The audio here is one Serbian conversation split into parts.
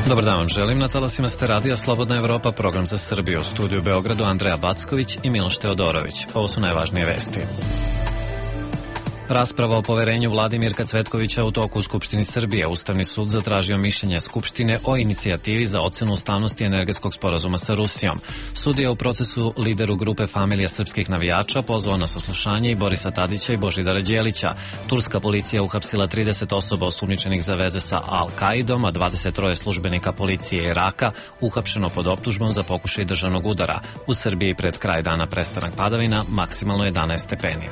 Dobar dan vam želim, na talasima ste radija Slobodna Evropa, program za Srbiju, u studiju u Beogradu Andreja Backović i Miloš Teodorović. Ovo su najvažnije vesti. Rasprava o poverenju vladi Mirka Cvetkovića u toku u Skupštini Srbije. Ustavni sud zatražio mišljenje Skupštine o inicijativi za ocenu ustavnosti energetskog sporazuma sa Rusijom. Sud je u procesu lideru grupe Familija srpskih navijača pozvao na saslušanje i Borisa Tadića i Božidara Đelića. Turska policija uhapsila 30 osoba osumnjičenih za veze sa Al-Kaidom, a 23 službenika policije Iraka uhapšeno pod optužbom za pokušaj državnog udara. U Srbiji pred kraj dana prestanak padavina, maksimalno 11 stepeni.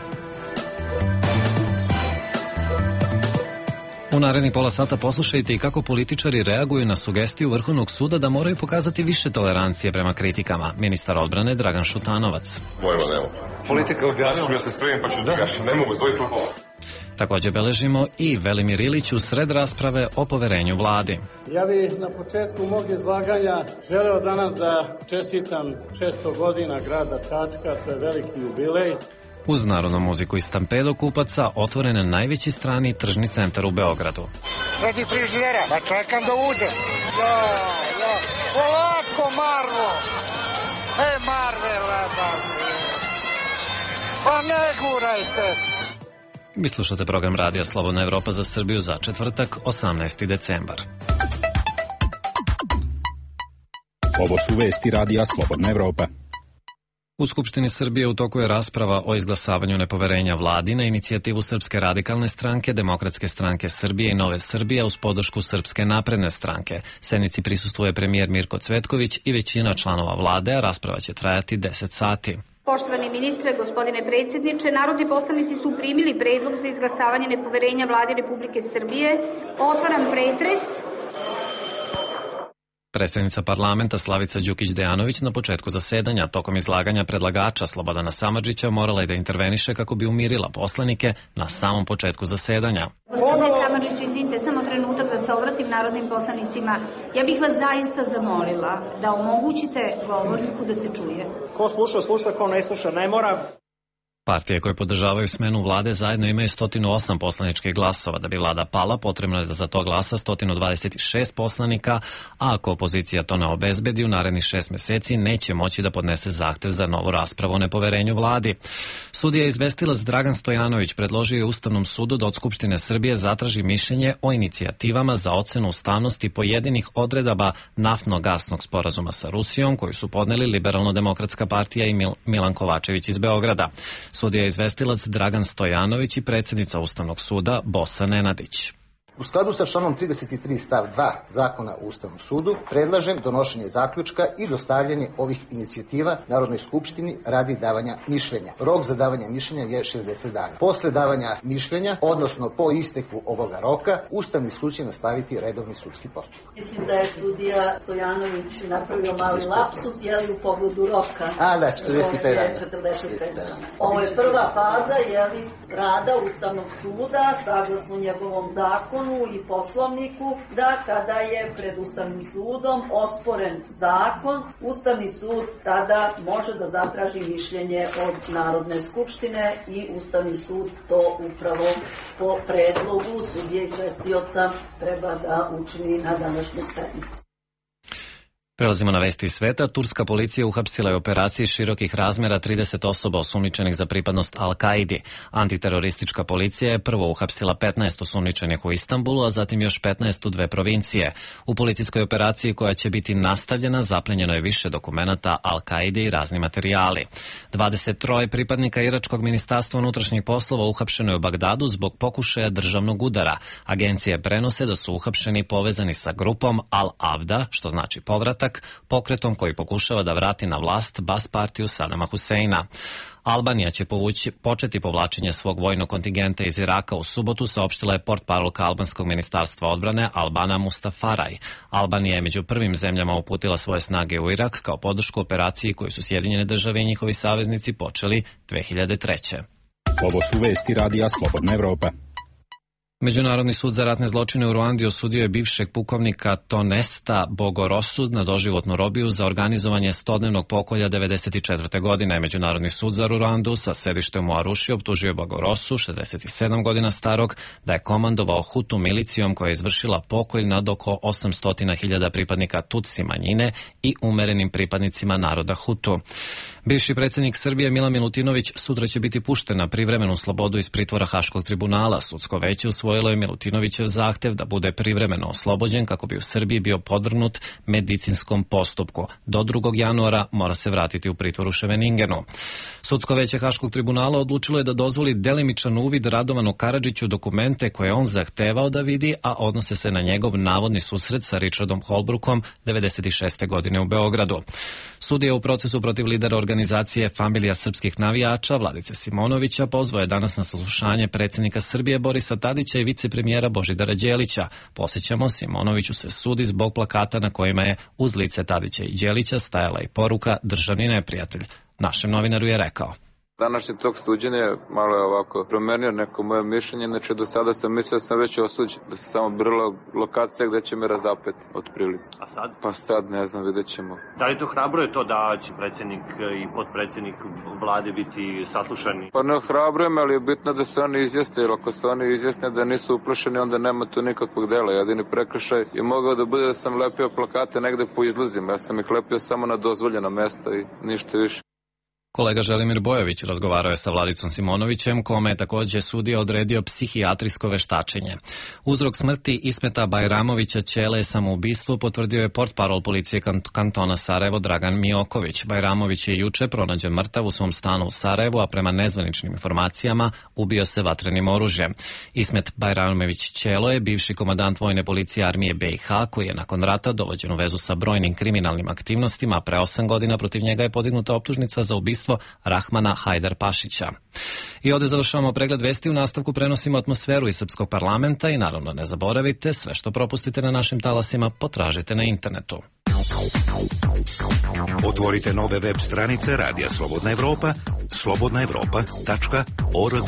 U narednih pola sata poslušajte i kako političari reaguju na sugestiju Vrhovnog suda da moraju pokazati više tolerancije prema kritikama. Ministar odbrane Dragan Šutanovac. Mojima nema. Politika objasnila. Ja se spremim pa ću da gašim. Ne mogu, zvoj to pola. Također beležimo i Velimir Ilić u sred rasprave o poverenju vladi. Ja bih na početku mog izlaganja želeo danas da čestitam 600 godina grada Čačka, to je veliki jubilej. Uz narodnu muziku i stampedo kupaca otvoren je najveći strani tržni centar u Beogradu. Radi frižidera, pa čekam da uđe. Polako, Marlo! Marvela, pa ne gurajte! Vi slušate program radija Slobodna Evropa za Srbiju za četvrtak, 18. decembar. Ovo su vesti radija Slobodna Evropa. U Skupštini Srbije u toku je rasprava o izglasavanju nepoverenja vladi na inicijativu Srpske radikalne stranke, Demokratske stranke Srbije i Nove Srbije uz podršku Srpske napredne stranke. Sednici prisustvuje premijer Mirko Cvetković i većina članova vlade, a rasprava će trajati 10 sati. Poštovani ministre, gospodine predsjedniče, narodni poslanici su primili predlog za izglasavanje nepoverenja vladi Republike Srbije. Otvaram pretres. Predsjednica parlamenta Slavica Đukić-Dejanović na početku zasedanja tokom izlaganja predlagača Slobodana Samardžića morala je da interveniše kako bi umirila poslanike na samom početku zasedanja. Gospodine Samardžić, izvinite, samo trenutak da se obratim narodnim poslanicima. Ja bih vas zaista zamolila da omogućite govorniku da se čuje. Ko sluša, sluša, ko ne sluša, ne mora. Partije koje podržavaju smenu vlade zajedno imaju 108 poslaničkih glasova. Da bi vlada pala, potrebno je da za to glasa 126 poslanika, a ako opozicija to ne obezbedi, u narednih 6 meseci neće moći da podnese zahtev za novu raspravu o nepoverenju vladi. Sudija izvestilac Dragan Stojanović predložio je Ustavnom sudu da od Skupštine Srbije zatraži mišljenje o inicijativama za ocenu ustavnosti pojedinih odredaba naftno-gasnog sporazuma sa Rusijom, koju su podneli Liberalno-demokratska partija i Milan Kovačević iz Beograda. Sudija je izvestilac Dragan Stojanović i predsjednica Ustavnog suda Bosa Nenadić. U skladu sa članom 33 stav 2 Zakona o Ustavnom sudu predlažem donošenje zaključka i dostavljanje ovih inicijativa Narodnoj skupštini radi davanja mišljenja. Rok za davanje mišljenja je 60 dana. Posle davanja mišljenja, odnosno po isteku ovoga roka, Ustavni sud će nastaviti redovni sudski postupak. Mislim da je sudija Stojanović napravio mali lapsus, jeli u pogledu roka. Da, 45 dana. 45 dana. Ovo je prva faza, jeli, rada Ustavnog suda, saglasno njegovom zakonu i poslovniku, da kada je pred Ustavnim sudom osporen zakon, Ustavni sud tada može da zatraži mišljenje od Narodne skupštine i Ustavni sud to upravo po predlogu sudije izvestioca treba da učini na današnjoj sednici. Prelazimo na vesti iz sveta. Turska policija uhapsila je u operaciji širokih razmjera 30 osoba osumnjičenih za pripadnost Al-Kaidi. Antiteroristička policija je prvo uhapsila 15 osumnjičenih u Istanbulu, a zatim još 15 u 2 provincije. U policijskoj operaciji koja će biti nastavljena zaplenjeno je više dokumenata Al-Kaide i razni materijali. 23 pripadnika iračkog ministarstva unutrašnjih poslova uhapšeno je u Bagdadu zbog pokušaja državnog udara. Agencije prenose da su uhapšeni povezani sa grupom Al-Avda, što znači povratak, pokretom koji pokušava da vrati na vlast Bas partiju Sadama Huseina. Albanija će početi povlačenje svog vojnog kontingenta iz Iraka u subotu, saopštila je portparolka albanskog ministarstva odbrane Albana Mustafaraj. Albanija je među prvim zemljama uputila svoje snage u Irak kao podršku operaciji koju su Sjedinjene države i njihovi saveznici počeli 2003. Ovo su vesti radija Slobodna Evropa. Međunarodni sud za ratne zločine u Ruandi osudio je bivšeg pukovnika Tonesta Bogorosu na doživotnu robiju za organizovanje 100-dnevnog pokolja 1994. godine. Međunarodni sud za Ruandu sa sedištem u Aruši optužio je Bogorosu, 67 godina starog, da je komandovao Hutu milicijom koja je izvršila pokolj nad oko 800.000 pripadnika Tutsi manjine i umerenim pripadnicima naroda Hutu. Bivši predsjednik Srbije Milan Milutinović sutra će biti pušten na privremenu slobodu iz pritvora Haškog tribunala. Sudsko veće usvojilo je Milutinovićev zahtev da bude privremeno oslobođen kako bi u Srbiji bio podvrgnut medicinskom postupku. Do 2. januara mora se vratiti u pritvor u Ševeningenu. Sudsko veće Haškog tribunala odlučilo je da dozvoli delimičan uvid Radovanu Karadžiću dokumente koje on zahtevao da vidi, a odnose se na njegov navodni susret sa Richardom Holbrookom 96. godine u Beogradu. Sudija u procesu protiv lidera organizacije Familija srpskih navijača Vladice Simonovića pozvao je danas na saslušanje predsjednika Srbije Borisa Tadića i vicepremijera Božidara Đelića. Podsjećamo, Simonoviću se sudi zbog plakata na kojima je uz lice Tadića i Đelića stajala i poruka državni neprijatelj. Našem novinaru je rekao: Današnji tok suđenja malo je ovako promenio neko moje mišljenje, znači do sada sam mislio da sam već osuđen, da se samo brila lokacija gde će me razapeti otprilike. A sad? Pa sad ne znam, vidjet ćemo. Da li to hrabro je to da će predsjednik i potpredsjednik vlade biti saslušani? Pa ne hrabrujem, ali je bitno da se oni izjasne, jer ako se oni izjasne da nisu uplašeni, onda nema tu nikakvog dela. Jedini prekršaj je mogao da bude da sam lepio plakate negde po izlazima. Ja sam ih lepio samo na dozvoljena mesta i ništa više. Kolega Želimir Bojović razgovarao je sa Vladicom Simonovićem, kome je također sudija odredio psihijatrijsko veštačenje. Uzrok smrti Ismeta Bajramovića Ćele samoubistvo potvrdio je portparol policije kantona Sarajevo Dragan Mioković. Bajramović je juče pronađen mrtav u svom stanu u Sarajevu, a prema nezvaničnim informacijama ubio se vatrenim oružjem. Ismet Bajramović Ćelo je bivši komandant vojne policije armije BiH, koji je nakon rata dovođen u vezu sa brojnim kriminalnim aktivnostima, a pre 8 godina protiv njega je podignuta optužnica za ubistvo Rahmana Hajdar Pašića. I ovdje završavamo pregled vesti, u nastavku prenosimo atmosferu iz Srpskog parlamenta i naravno ne zaboravite, sve što propustite na našim talasima potražite na internetu. Otvorite nove web stranice Radija Slobodna Evropa, slobodnaevropa.org.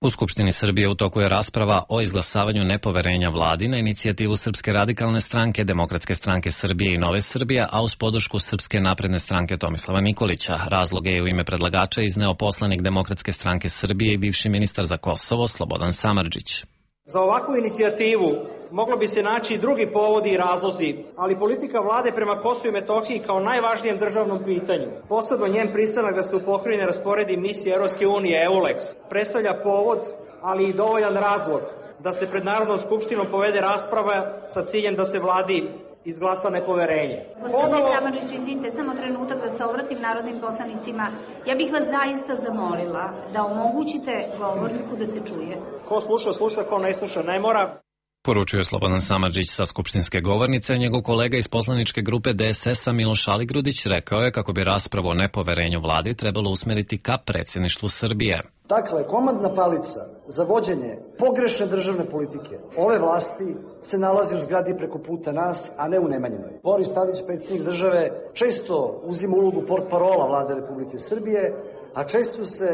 U Skupštini Srbije u toku je rasprava o izglasavanju nepoverenja vladi na inicijativu Srpske radikalne stranke, Demokratske stranke Srbije i Nove Srbije, a uz podršku Srpske napredne stranke Tomislava Nikolića. Razloge je u ime predlagača izneo poslanik Demokratske stranke Srbije i bivši ministar za Kosovo Slobodan Samardžić. Za ovakvu inicijativu moglo bi se naći i drugi povodi i razlozi, ali politika vlade prema Kosovu i Metohiji kao najvažnijem državnom pitanju, posebno njen pristanak da se u pokrajini rasporedi misija Europske unije EULEX, predstavlja povod, ali i dovoljan razlog da se pred Narodnom skupštinom povede rasprava sa ciljem da se vladi izglasa nepoverenje. Gospodine Samardžić, izvinite, samo trenutak da se obratim narodnim poslanicima. Ja bih vas zaista zamolila da omogućite govorniku da se čuje. Ko sluša, sluša, ko ne sluša, ne mora. Poručuje Slobodan Samardžić sa skupštinske govornice, a njegov kolega iz poslaničke grupe DSS-a Miloš Aligrudić rekao je kako bi raspravu o nepoverenju vladi trebalo usmeriti ka predsjedništvu Srbije. Dakle, komandna palica za vođenje pogrešne državne politike ove vlasti se nalazi u zgradi preko puta nas, a ne u Nemanjinoj. Boris Tadić, predsjednik države, često uzima ulogu portparola vlade Republike Srbije, a često se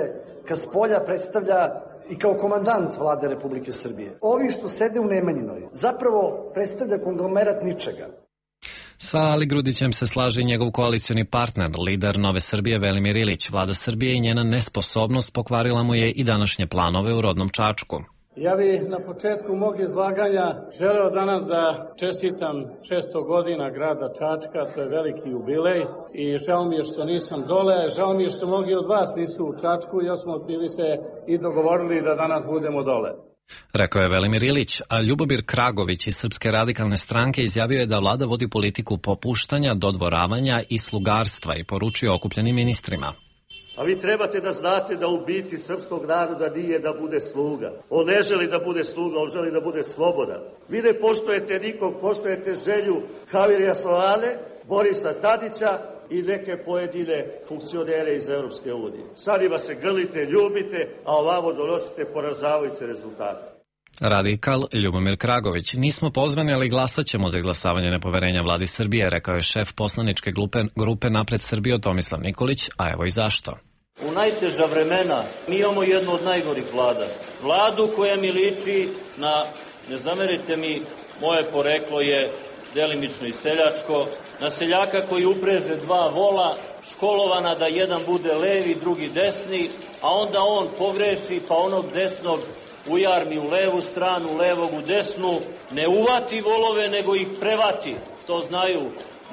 kad spolja predstavlja i kao komandant vlade Republike Srbije. Ovi što sede u Nemanjinoj zapravo predstavlja konglomerat ničega. Sa Aligrudićem se slaže i njegov koalicioni partner, lider Nove Srbije Velimir Ilić. Vlada Srbije i njena nesposobnost pokvarila mu je i današnje planove u rodnom Čačku. Ja bih na početku mog izlaganja želeo danas da čestitam 600 godina grada Čačka, to je veliki jubilej i žao mi je što nisam dole, žao mi je što mnogi od vas nisu u Čačku, jer smo bili se i dogovorili da danas budemo dole. Rekao je Velimir Ilić, a Ljubomir Kragović iz Srpske radikalne stranke izjavio je da vlada vodi politiku popuštanja, dodvoravanja i slugarstva i poručio okupljenim ministrima. A vi trebate da znate da u biti srpskog naroda nije da bude sluga. On ne želi da bude sluga, on želi da bude slobodan. Vi ne poštujete nikog, poštujete želju Javirija Solane, Borisa Tadića i neke pojedine funkcionere iz Europske unije. Sad ima se grlite, ljubite, a ovamo donosite poražavajuće rezultate. Radikal Ljubomir Kragović. Nismo pozvani, ali glasat ćemo za izglasavanje nepoverenja vladi Srbije, rekao je šef poslaničke grupe Napred Srbijo Tomislav Nikolić, a evo i zašto. U najteža vremena mi imamo jednu od najgorih vlada. Vladu koja mi liči na, ne zamerite mi, moje poreklo je delimično i seljačko, na seljaka koji upreže dva vola, školovana da jedan bude levi, drugi desni, a onda on pogreši pa onog desnog ujarmi u levu stranu, levog u desnu, ne uvati volove nego ih prevati. To znaju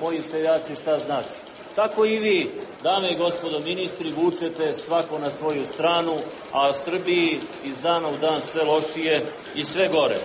moji seljaci šta znači. Tako i vi, dame i gospodo ministri, vučete svako na svoju stranu, a Srbiji iz dana u dan sve lošije i sve gore.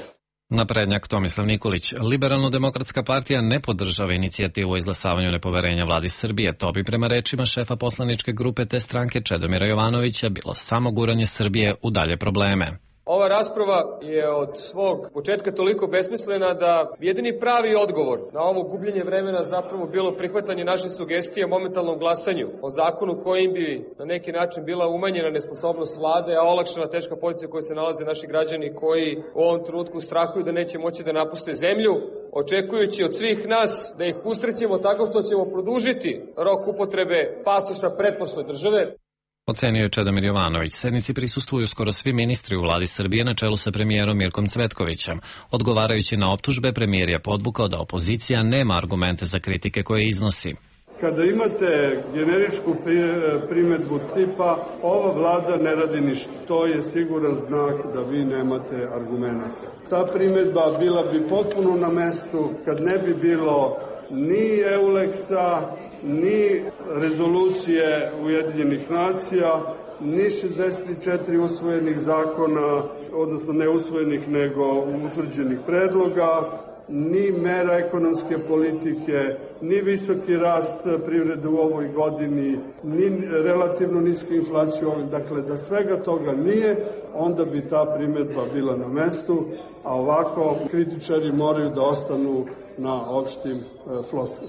Naprednjak Tomislav Nikolić. Liberalno-demokratska partija ne podržava inicijativu o izglasavanju nepoverenja vladi Srbije. To bi prema rečima šefa poslaničke grupe te stranke Čedomira Jovanovića bilo samo guranje Srbije u dalje probleme. Ova rasprava je od svog početka toliko besmislena da jedini pravi odgovor na ovo gubljenje vremena zapravo bilo prihvatanje naše sugestije o momentalnom glasanju, o zakonu kojim bi na neki način bila umanjena nesposobnost vlade, a olakšana teška pozicija u kojoj se nalaze naši građani koji u ovom trenutku strahuju da neće moći da napuste zemlju, očekujući od svih nas da ih usrećemo tako što ćemo produžiti rok upotrebe pasoša pretprošle države. Ocenio je Čedomir Jovanović. Sednici prisustvuju skoro svi ministri u vladi Srbije na čelu sa premijerom Mirkom Cvetkovićem. Odgovarajući na optužbe, premijer je podvukao da opozicija nema argumente za kritike koje iznosi. Kada imate generičku primedbu tipa ova vlada ne radi ništa, to je siguran znak da vi nemate argumente. Ta primedba bila bi potpuno na mestu kad ne bi bilo ni EULEX-a, ni rezolucije Ujedinjenih nacija, ni 64 usvojenih zakona, odnosno ne usvojenih nego utvrđenih predloga, ni mera ekonomske politike, ni visoki rast privrede u ovoj godini, ni relativno niska inflacija. Dakle, da svega toga nije, onda bi ta primedba bila na mestu, a ovako kritičari moraju da ostanu na opštim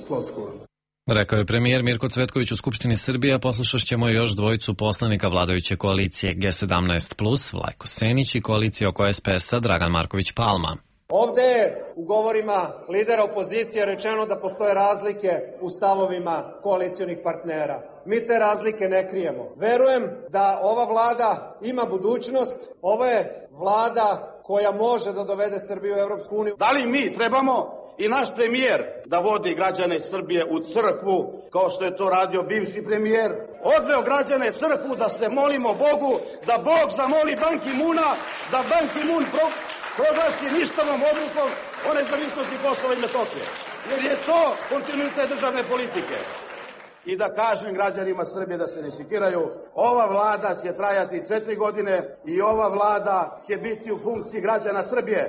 floskulama. Rekao je premijer Mirko Cvetković u Skupštini Srbije, a poslušaćemo još dvojicu poslanika vladajuće koalicije G17+, Vlajko Senić i koalicije oko SPS-a Dragan Marković Palma. Ovde je u govorima lidera opozicije rečeno da postoje razlike u stavovima koalicionih partnera. Mi te razlike ne krijemo. Verujem da ova vlada ima budućnost. Ovo je vlada koja može da dovede Srbiju u Evropsku uniju. Da li mi trebamo i naš premijer da vodi građane Srbije u crkvu, kao što je to radio bivši premijer? Odveo građane crkvu da se molimo Bogu, da Bog zamoli Ban Ki-muna, da Ban Ki-mun proglasi ništavom odlukom o nezavisnosti Kosova i Metohije. Jer je to kontinuitet državne politike. I da kažem građanima Srbije da se ne sekiraju, ova vlada će trajati 4 godine i ova vlada će biti u funkciji građana Srbije.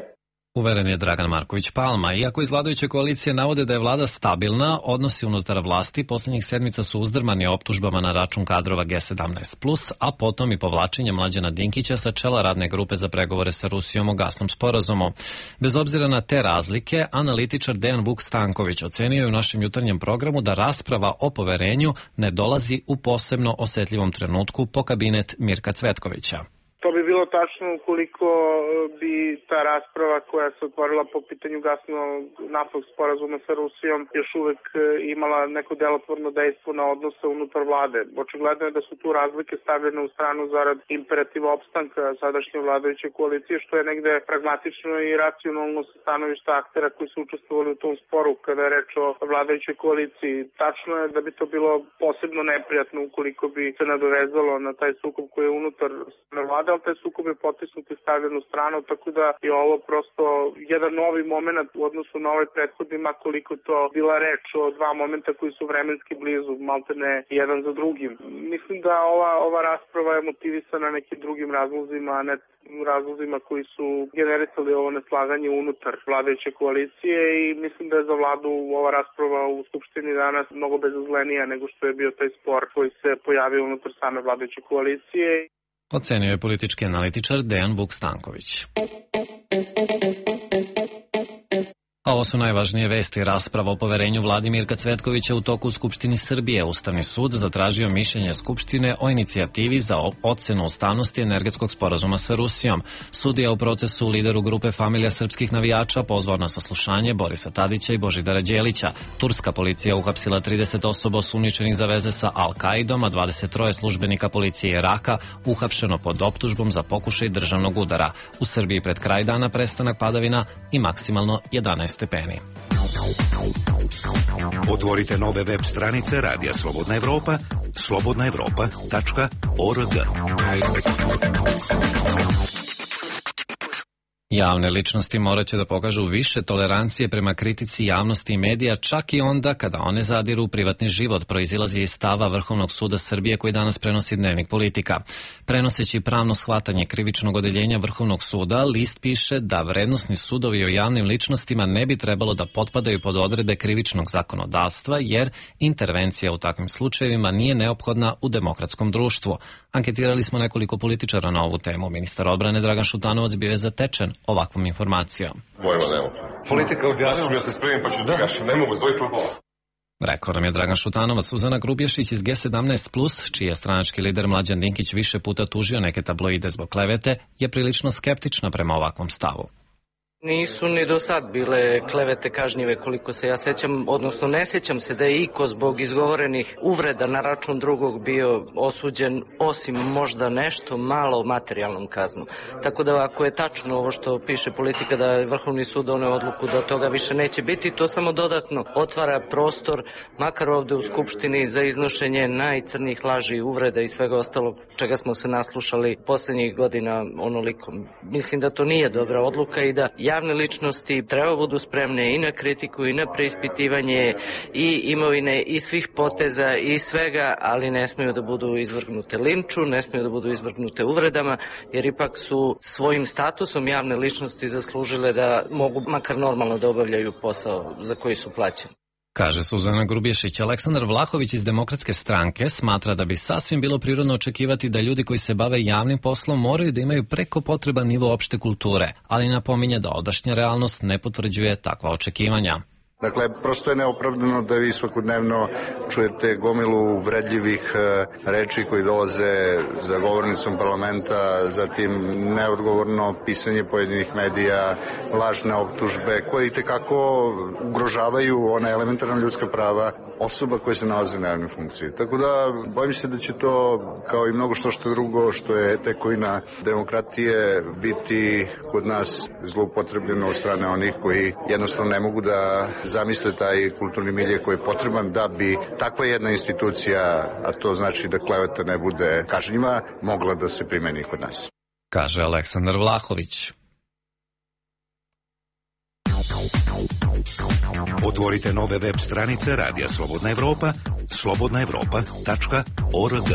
Uveren je Dragan Marković Palma. Iako iz vladajuće koalicije navode da je vlada stabilna, odnosi unutar vlasti posljednjih sedmica su uzdrmani optužbama na račun kadrova G17+, a potom i povlačenje Mlađana Dinkića sa čela radne grupe za pregovore sa Rusijom o gasnom sporazumu. Bez obzira na te razlike, analitičar Dejan Vuk Stanković ocenio je u našem jutarnjem programu da rasprava o poverenju ne dolazi u posebno osetljivom trenutku po kabinet Mirka Cvetkovića. To bi bilo tačno ukoliko bi ta rasprava koja se otvorila po pitanju gasno-naftnog sporazuma sa Rusijom još uvek imala neko delotvorno dejstvo na odnose unutar vlade. Očigledno je da su tu razlike stavljene u stranu zarad imperativa opstanka sadašnje vladajuće koalicije, što je negde pragmatično i racionalno sa stanovišta aktera koji su učestvovali u tom sporu kada je reč o vladajućoj koaliciji. Tačno je da bi to bilo posebno neprijatno ukoliko bi se nadovezalo na taj sukob koji je unutar vlade, ali taj sukob je potisnut i stavljen u stranu, tako da je ovo prosto jedan novi moment u odnosu na ovaj prethodni, koliko to bila reč o dva momenta koji su vremenski blizu, maltene jedan za drugim. Mislim da ova rasprava je motivisana nekim drugim razlozima, a ne razlozima koji su generisali ovo neslaganje unutar vladajuće koalicije i mislim da je za vladu ova rasprava u Skupštini danas mnogo bezazlenija nego što je bio taj spor koji se pojavio unutar same vladajuće koalicije. Ocenio je politički analitičar Dejan Vuk Stanković. A ovo su najvažnije vesti. Rasprava o poverenju vladi Mirka Cvetkovića u toku u Skupštini Srbije. Ustavni sud zatražio mišljenje Skupštine o inicijativi za ocenu ustavnosti energetskog sporazuma sa Rusijom. Sudija u procesu, lideru grupe Familija srpskih navijača, pozvao na saslušanje Borisa Tadića i Božidara Đelića. Turska policija uhapsila 30 osoba osumnjičenih za veze sa Al-Kaidom, a 23 službenika policije Iraka uhapšeno pod optužbom za pokušaj državnog udara. U Srbiji pred kraj dana prestanak padavina i maksimalno 11 stepeni. Otvorite nove web stranice Radija Slobodna Evropa, slobodnaevropa.org. Javne ličnosti morat će da pokažu više tolerancije prema kritici javnosti i medija, čak i onda kada one zadiru u privatni život, proizilazi iz stava Vrhovnog suda Srbije koji danas prenosi Dnevnik Politika. Prenoseći pravno shvatanje krivičnog odeljenja Vrhovnog suda, list piše da vrednosni sudovi o javnim ličnostima ne bi trebalo da potpadaju pod odredbe krivičnog zakonodavstva, jer intervencija u takvim slučajevima nije neophodna u demokratskom društvu. Anketirali smo nekoliko političara na ovu temu. Ministar odbrane Dragan Šutanovac bio je zatečen ovakvom informacijom. Politika objasnila. Ja se spremim pa ću da gašem, ne mogu zvojiti lupova. Rekao nam je Dragan Šutanovac. Suzana Grubješić iz G17+, čiji je stranački lider Mlađan Dinkić više puta tužio neke tabloide zbog klevete, je prilično skeptična prema ovakvom stavu. Nisu ni do sad bile klevete kažnjive koliko se ja sećam, odnosno ne sećam se da je iko zbog izgovorenih uvreda na račun drugog bio osuđen, osim možda nešto malo materijalnom kaznom. Tako da ako je tačno ovo što piše Politika da je Vrhovni sud doneo odluku da toga više neće biti, to samo dodatno otvara prostor, makar ovde u Skupštini, za iznošenje najcrnijih laži, uvreda i svega ostalog čega smo se naslušali poslednjih godina onoliko. Mislim da to nije dobra odluka i da javne ličnosti treba budu spremne i na kritiku i na preispitivanje i imovine i svih poteza i svega, ali ne smeju da budu izvrgnute linču, ne smeju da budu izvrgnute uvredama, jer ipak su svojim statusom javne ličnosti zaslužile da mogu makar normalno da obavljaju posao za koji su plaćeni. Kaže Suzana Grubješić. Aleksandar Vlahović iz Demokratske stranke smatra da bi sasvim bilo prirodno očekivati da ljudi koji se bave javnim poslom moraju da imaju preko potreban nivo opšte kulture, ali napominje da odašnja realnost ne potvrđuje takva očekivanja. Dakle, prosto je neopravdano da vi svakodnevno čujete gomilu uvredljivih reči koji dolaze za govornicom parlamenta, zatim neodgovorno pisanje pojedinih medija, lažne optužbe koje itekako ugrožavaju ona elementarna ljudska prava osoba koje se nalaze na javnoj funkciji. Tako da, bojim se da će to, kao i mnogo što drugo, što je tekovina demokratije, biti kod nas zloupotrebljeno od strane onih koji jednostavno ne mogu da zamisle taj kulturni milje koji je potreban da bi takva jedna institucija, a to znači da kleveta ne bude kažnjiva, mogla da se primeni kod nas. Kaže Aleksandar Vlahović. Otvorite nove web stranice Radija Slobodna Evropa, slobodnaevropa.org.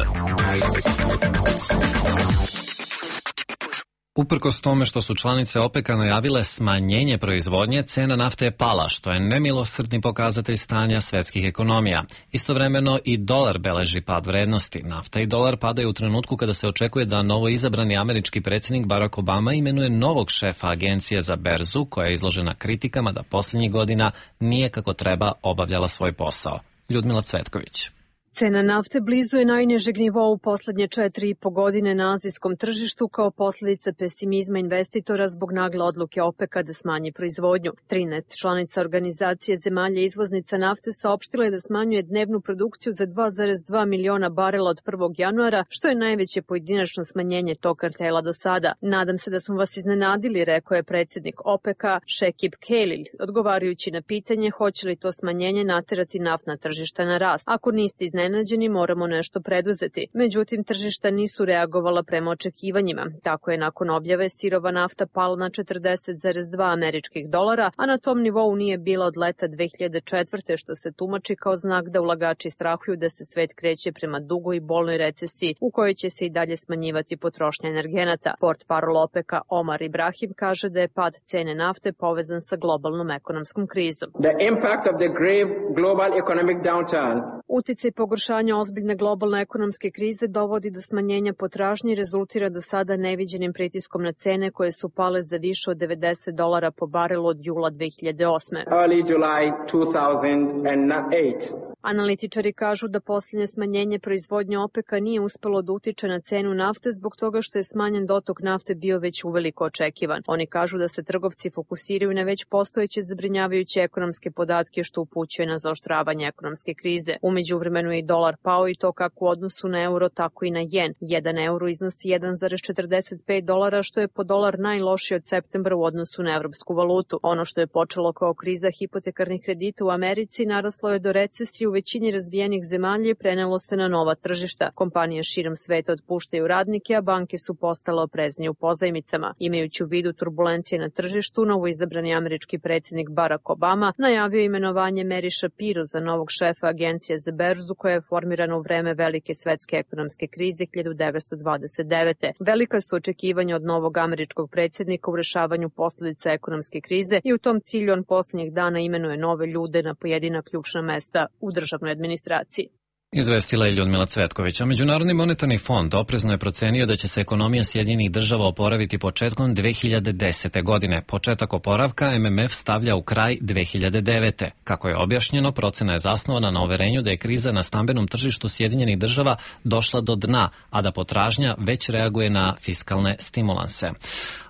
Uprkos tome što su članice OPEC-a najavile smanjenje proizvodnje, cena nafte je pala, što je nemilosrdni pokazatelj stanja svetskih ekonomija. Istovremeno i dolar beleži pad vrednosti. Nafta i dolar padaju u trenutku kada se očekuje da novo izabrani američki predsjednik Barack Obama imenuje novog šefa agencije za berzu, koja je izložena kritikama da posljednjih godina nije kako treba obavljala svoj posao. Ljudmila Cvetković. Cena nafte blizu je najnižeg nivoa u poslednje 4,5 godine na azijskom tržištu kao posljedica pesimizma investitora zbog nagle odluke OPEC-a da smanji proizvodnju. 13 članica organizacije zemalja izvoznica nafte saopštila je da smanjuje dnevnu produkciju za 2,2 miliona barela od 1. januara, što je najveće pojedinačno smanjenje tog kartela do sada. Nadam se da smo vas iznenadili, rekao je predsjednik OPEC-a Šekib Kelil, odgovarajući na pitanje hoće li to smanjenje naterati naftna tržišta na rast. Ako niste iznenađeni, moramo nešto preduzeti. Međutim, tržišta nisu reagovala prema očekivanjima. Tako je nakon objave sirova nafta pala na 40,2 američkih dolara, a na tom nivou nije bila od leta 2004. što se tumači kao znak da ulagači strahuju da se svet kreće prema dugoj i bolnoj recesiji u kojoj će se i dalje smanjivati potrošnja energenata. Portparol OPEC-a Omar Ibrahim kaže da je pad cene nafte povezan sa globalnom ekonomskom krizom. The impact of the grave global economic downturn. Uticaj pogoršanje ozbiljne globalne ekonomske krize dovodi do smanjenja potražnje i rezultira do sada neviđenim pritiskom na cene koje su pale za više od $90 po barelu od jula 2008. Early July 2008. Analitičari kažu da posljednje smanjenje proizvodnje OPEC-a nije uspelo da utiče na cenu nafte zbog toga što je smanjen dotok nafte bio već uveliko očekivan. Oni kažu da se trgovci fokusiraju na već postojeće zabrinjavajuće ekonomske podatke što upućuje na zaoštravanje ekonomske krize. Umeđu vremenu je i dolar pao i to kako u odnosu na euro, tako i na jen. 1 euro iznosi $1,45, što je po dolar najlošiji od septembra u odnosu na evropsku valutu. Ono što je počelo kao kriza hipotekarnih kredita u Americi naraslo je do recesije u većini razvijenih zemalja i prenelo se na nova tržišta. Kompanije širom sveta otpuštaju radnike, a banke su postale opreznije u pozajmicama. Imajući u vidu turbulencije na tržištu, novoizabrani američki predsjednik Barack Obama najavio imenovanje Mary Shapiro za novog šefa agencije za berzu koja je formirana u vreme velike svetske ekonomske krize 1929. Velika su očekivanja od novog američkog predsjednika u rešavanju posljedica ekonomske krize i u tom cilju on posljednjih dana imenuje nove ljude na pojedina ključna mesta u državnoj administraciji. Izvestila je Ljudmila Cvetković. Međunarodni monetarni fond oprezno je procenio da će se ekonomija Sjedinjenih država oporaviti početkom 2010. godine. Početak oporavka MMF stavlja u kraj 2009. Kako je objašnjeno, procena je zasnovana na uverenju da je kriza na stambenom tržištu Sjedinjenih država došla do dna, a da potražnja već reaguje na fiskalne stimulanse.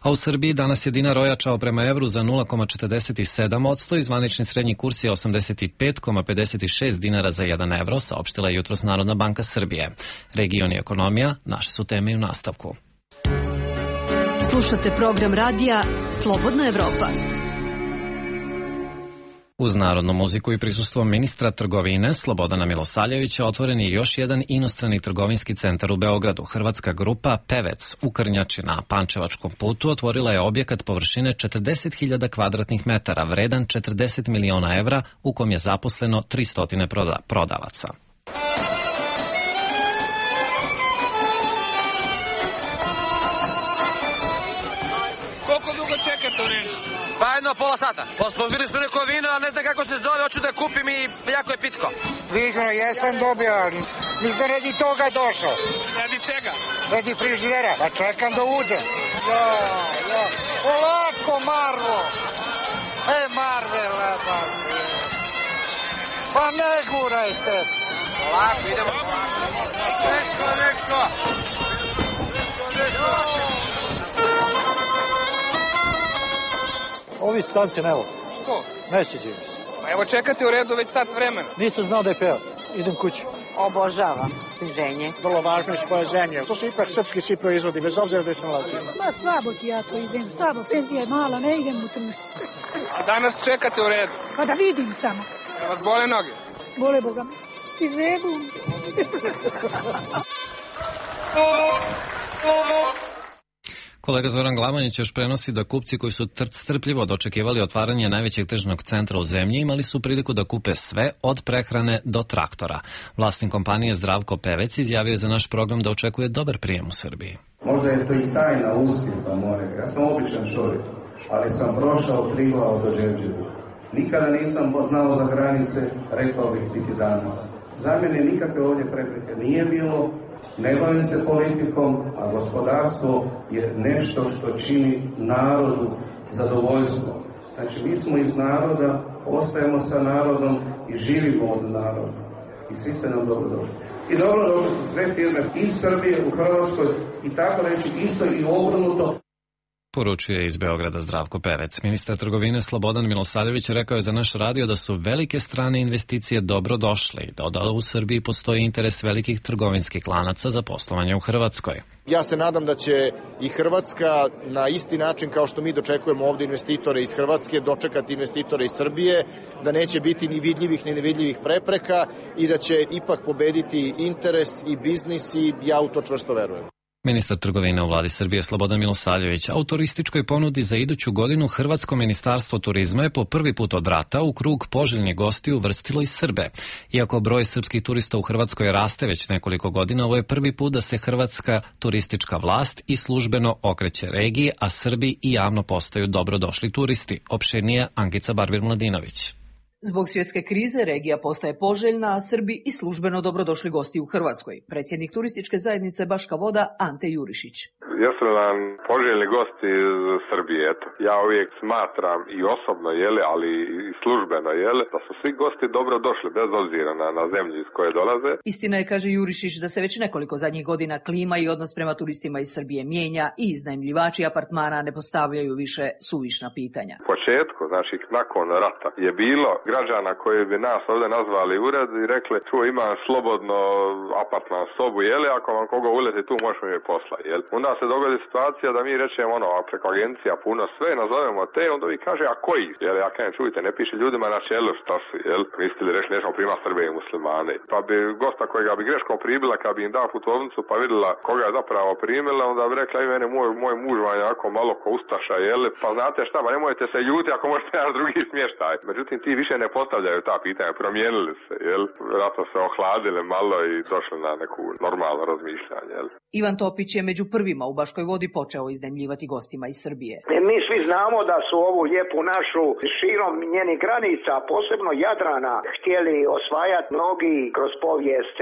A u Srbiji danas je dinar ojačao prema evru za 0,47% i zvanični srednji kurs je 85,56 dinara za 1 evro, saopštila je jutros Narodna banka Srbije. Region i ekonomija naše su teme i u nastavku. Slušate program radija Slobodna Evropa. Uz narodnu muziku i prisustvo ministra trgovine Slobodana Milosavljevića otvoren je još jedan inostrani trgovinski centar u Beogradu. Hrvatska grupa Pevec u Krnjači na Pančevačkom putu otvorila je objekat površine 40.000 kvadratnih metara, vredan 40 miliona evra, u kom je zaposleno 300 prodavaca. Koliko dugo čekate u redu? Pa jedno pola sata. Pospožili su neko vino, ali ne znam kako se zove, hoću da kupim i jako je pitko. Vižno, jesam dobio, ali nisam radi toga došao. Radi čega? Radi frižidera. Pa čekam da uđem. Polako, Marvo. Marvela, pa ne gurajte. Polako, idemo. Neko. Ovi stanci ne vole. Ko? Ne sjeđaju. Pa evo čekate u redu već sat vremena. Nisam znao da je peo. Idem kući. Obožavam sviženje. Vrlo važno iz koje zemlje. To su ipak srpski svi proizvodi, bez obzira da se nalazi. Ma slabo ti ja to idem. Slabo, penzija je mala, ne idem u tržište. A danas čekate u redu? Pa da vidim samo. Da vas bole noge? Bole Boga. Ti zebu. Kolega Zoran Glavanjić još prenosi da kupci koji su strpljivo dočekivali otvaranje najvećeg tržnog centra u zemlji imali su priliku da kupe sve od prehrane do traktora. Vlasnik kompanije Zdravko Pevec izjavio je za naš program da očekuje dobar prijem u Srbiji. Možda je to i tajna uspjeha moja. Ja sam običan čovjek, ali sam prošao Triglav do Đevđevu. Nikada nisam znao za granice, rekao bih biti danas. Za mene nikakve ovdje prepreke nije bilo. Ne bavim se politikom, a gospodarstvo je nešto što čini narodu zadovoljstvo. Znači, mi smo iz naroda, ostajemo sa narodom i živimo od naroda. I svi ste nam dobro došli. I dobro došli su sve firme iz Srbije u Hrvatskoj i tako reći isto i obrnuto. Poručuje iz Beograda Zdravko Pevec. Ministar trgovine Slobodan Milosavljević rekao je za naš radio da su velike strane investicije dobro došle i da u Srbiji postoji interes velikih trgovinskih lanaca za poslovanje u Hrvatskoj. Ja se nadam da će i Hrvatska na isti način kao što mi dočekujemo ovdje investitore iz Hrvatske, dočekati investitore iz Srbije, da neće biti ni vidljivih ni nevidljivih prepreka i da će ipak pobediti interes i biznis i ja u to čvrsto verujem. Ministar trgovine u vladi Srbije Slobodan Milosavljević, a u turističkoj ponudi za iduću godinu Hrvatsko ministarstvo turizma je po prvi put od rata u krug poželjnih gostiju uvrstilo i Srbe. Iako broj srpskih turista u Hrvatskoj raste već nekoliko godina, ovo je prvi put da se hrvatska turistička vlast i službeno okreće regiji, a Srbi i javno postaju dobrodošli turisti. Opširnije Ankica Barbir Mladinović. Zbog svjetske krize regija postaje poželjna, a Srbi i službeno dobrodošli gosti u Hrvatskoj. Predsjednik turističke zajednice Baška Voda Ante Jurišić. Jesu nam poželjni gosti iz Srbije, eto. Ja uvijek smatram i osobno, ali i službeno, da su svi gosti dobro došli, bez obzira na zemlju iz koje dolaze. Istina je, kaže Jurišić, da se već nekoliko zadnjih godina klima i odnos prema turistima iz Srbije mijenja i iznajmljivači apartmana ne postavljaju više suvišna pitanja. U početku, znači nakon rata, je bilo građana koji bi nas ovdje nazvali ured i rekli, tu imam slobodno apartman sobu, ako vam koga uleti tu možemo mi posla, Onda se dogodi situacija da mi rečemo preko agencija puno sve, nazovemo te, onda vi kaže, a koji? Ja kažem, čujte, ne piše ljudima na čelu šta su, Mislite li reći, nećemo prima Srbe i muslimane. Pa bi gosta kojega bi greškom primila, kad bi im dao putovnicu pa vidjela koga je zapravo primila, onda bi rekla, i mene moj muž vam je jako malo ko ustaša, pa znate šta, pa nemojte se ljuti ako možete naš drugi smještaj. Međutim, ti više ne postavljaju ta pitanja, promijenili se, Vjerojatno se ohladili malo i došli na neku normalno razmišljanje, Ivan Topić je među prvima u Baškoj Vodi počeo iznajmljivati gostima iz Srbije. Mi svi znamo da su ovu lijepu našu širom njenih granica, posebno Jadrana, htjeli osvajati mnogi kroz povijest,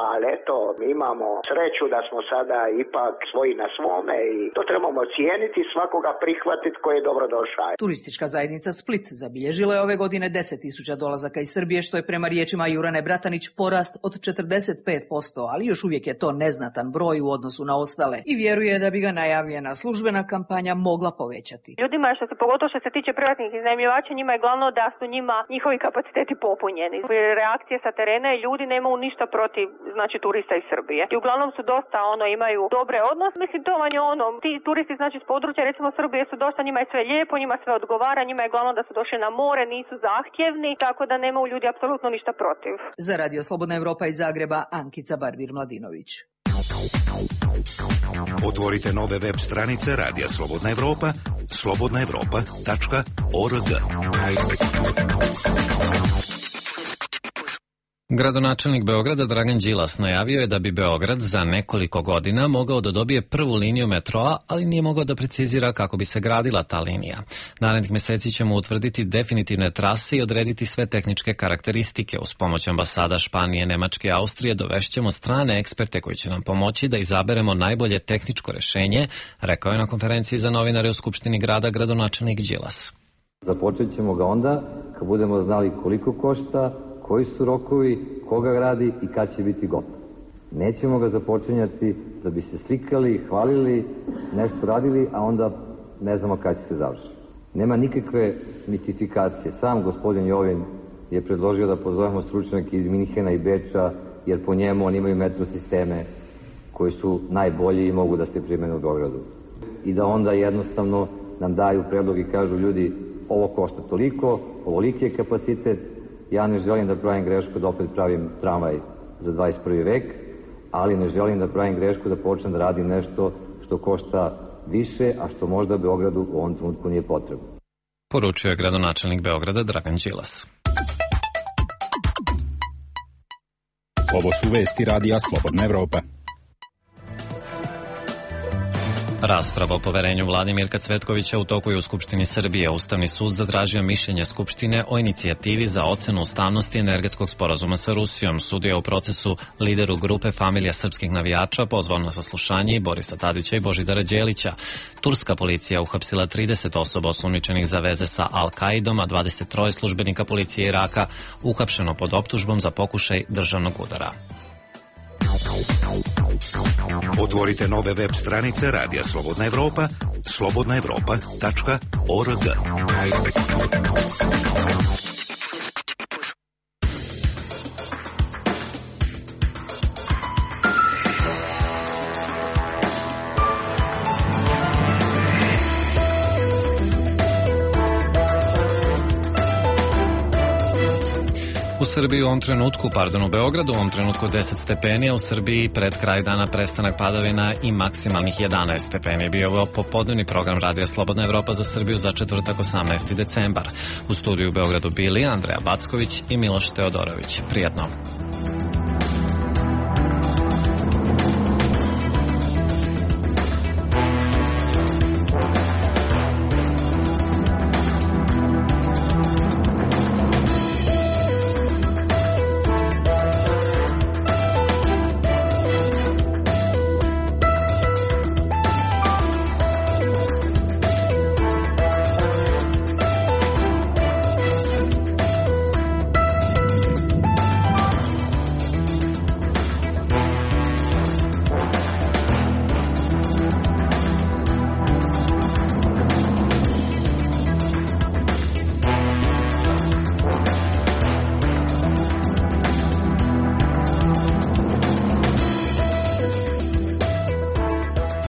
ali eto, imamo sreću da smo sada ipak svoji na svome i to trebamo cijeniti, svakoga prihvatiti koji je dobrodošao. Turistička zajednica Split zabilježila je ove godine 10.000 dolazaka iz Srbije, što je prema riječima Jurane Bratanić porast od 45%, ali još uvijek je to neznatan broj u odnosu na ostale i vjeruje da bi ga najavljena službena kampanja mogla povećati. Ljudima, pogotovo što se tiče privatnih iznajmljivača, njima je glavno da su njima njihovi kapaciteti popunjeni. Reakcije sa terena i ljudi nemaju ništa protiv, turista iz Srbije. I uglavnom su dosta, imaju dobre odnose. Mislim, to vam je ti turisti, s područja, recimo Srbije su dosta, njima je sve lijepo, njima sve odgovara, njima je glavno da su došli na more, nisu zahtjevni, tako da nemaju ljudi apsolutno ništa protiv. Za Radio Slobodna Evropa iz Zagreba, Ankica Barbir-Mladinović. Otvorite nove web stranice Radija Slobodna Evropa, slobodnaevropa.org. Gradonačelnik Beograda Dragan Đilas najavio je da bi Beograd za nekoliko godina mogao da dobije prvu liniju metroa, ali nije mogao da precizira kako bi se gradila ta linija. Narednih meseci ćemo utvrditi definitivne trase i odrediti sve tehničke karakteristike. Uz pomoć ambasada Španije, Nemačke i Austrije dovešćemo strane eksperte koji će nam pomoći da izaberemo najbolje tehničko rešenje, rekao je na konferenciji za novinare u Skupštini grada gradonačelnik Đilas. Započet ćemo ga onda kad budemo znali koliko košta, koji su rokovi, koga gradi i kad će biti gotov. Nećemo ga započinjati da bi se slikali, hvalili, nešto radili, a onda ne znamo kad će se završiti. Nema nikakve mistifikacije. Sam gospodin Jovin je predložio da pozovemo stručnjake iz Minhena i Beča, jer po njemu oni imaju metro sisteme koji su najbolji i mogu da se primene u Beogradu. I da onda jednostavno nam daju predlog i kažu, ljudi, ovo košta toliko, ovoliki je kapacitet, ja ne želim da pravim grešku da opet pravim tramvaj za 21. vek, ali ne želim da pravim grešku da počnem da radim nešto što košta više, a što možda Beogradu u ovom trenutku nije potrebno. Poručio je gradonačelnik Beograda Dragan Đilas. Ovo su vesti Radija Slobodna Evropa. Rasprava o poverenju vladi Mirka Cvetkovića u toku je u Skupštini Srbije. Ustavni sud zatražio mišljenje Skupštine o inicijativi za ocenu ustavnosti energetskog sporazuma sa Rusijom. Sud je u procesu lideru grupe Familija srpskih navijača pozvao na saslušanje i Borisa Tadića i Božidara Đelića. Turska policija uhapsila 30 osoba osumnjičenih za veze sa Al-Kaidom, a 23 službenika policije Iraka uhapšeno pod optužbom za pokušaj državnog udara. Otvorite nove web stranice Radija Slobodna Evropa, slobodnaevropa.org. U Srbiji u Beogradu u ovom trenutku 10 stepeni, a u Srbiji pred kraj dana prestanak padavina i maksimalnih 11 stepeni. Bio ovo popodnevni program Radija Slobodna Evropa za Srbiju za četvrtak 18. decembar. U studiju u Beogradu bili Andreja Backović i Miloš Teodorović. Prijatno.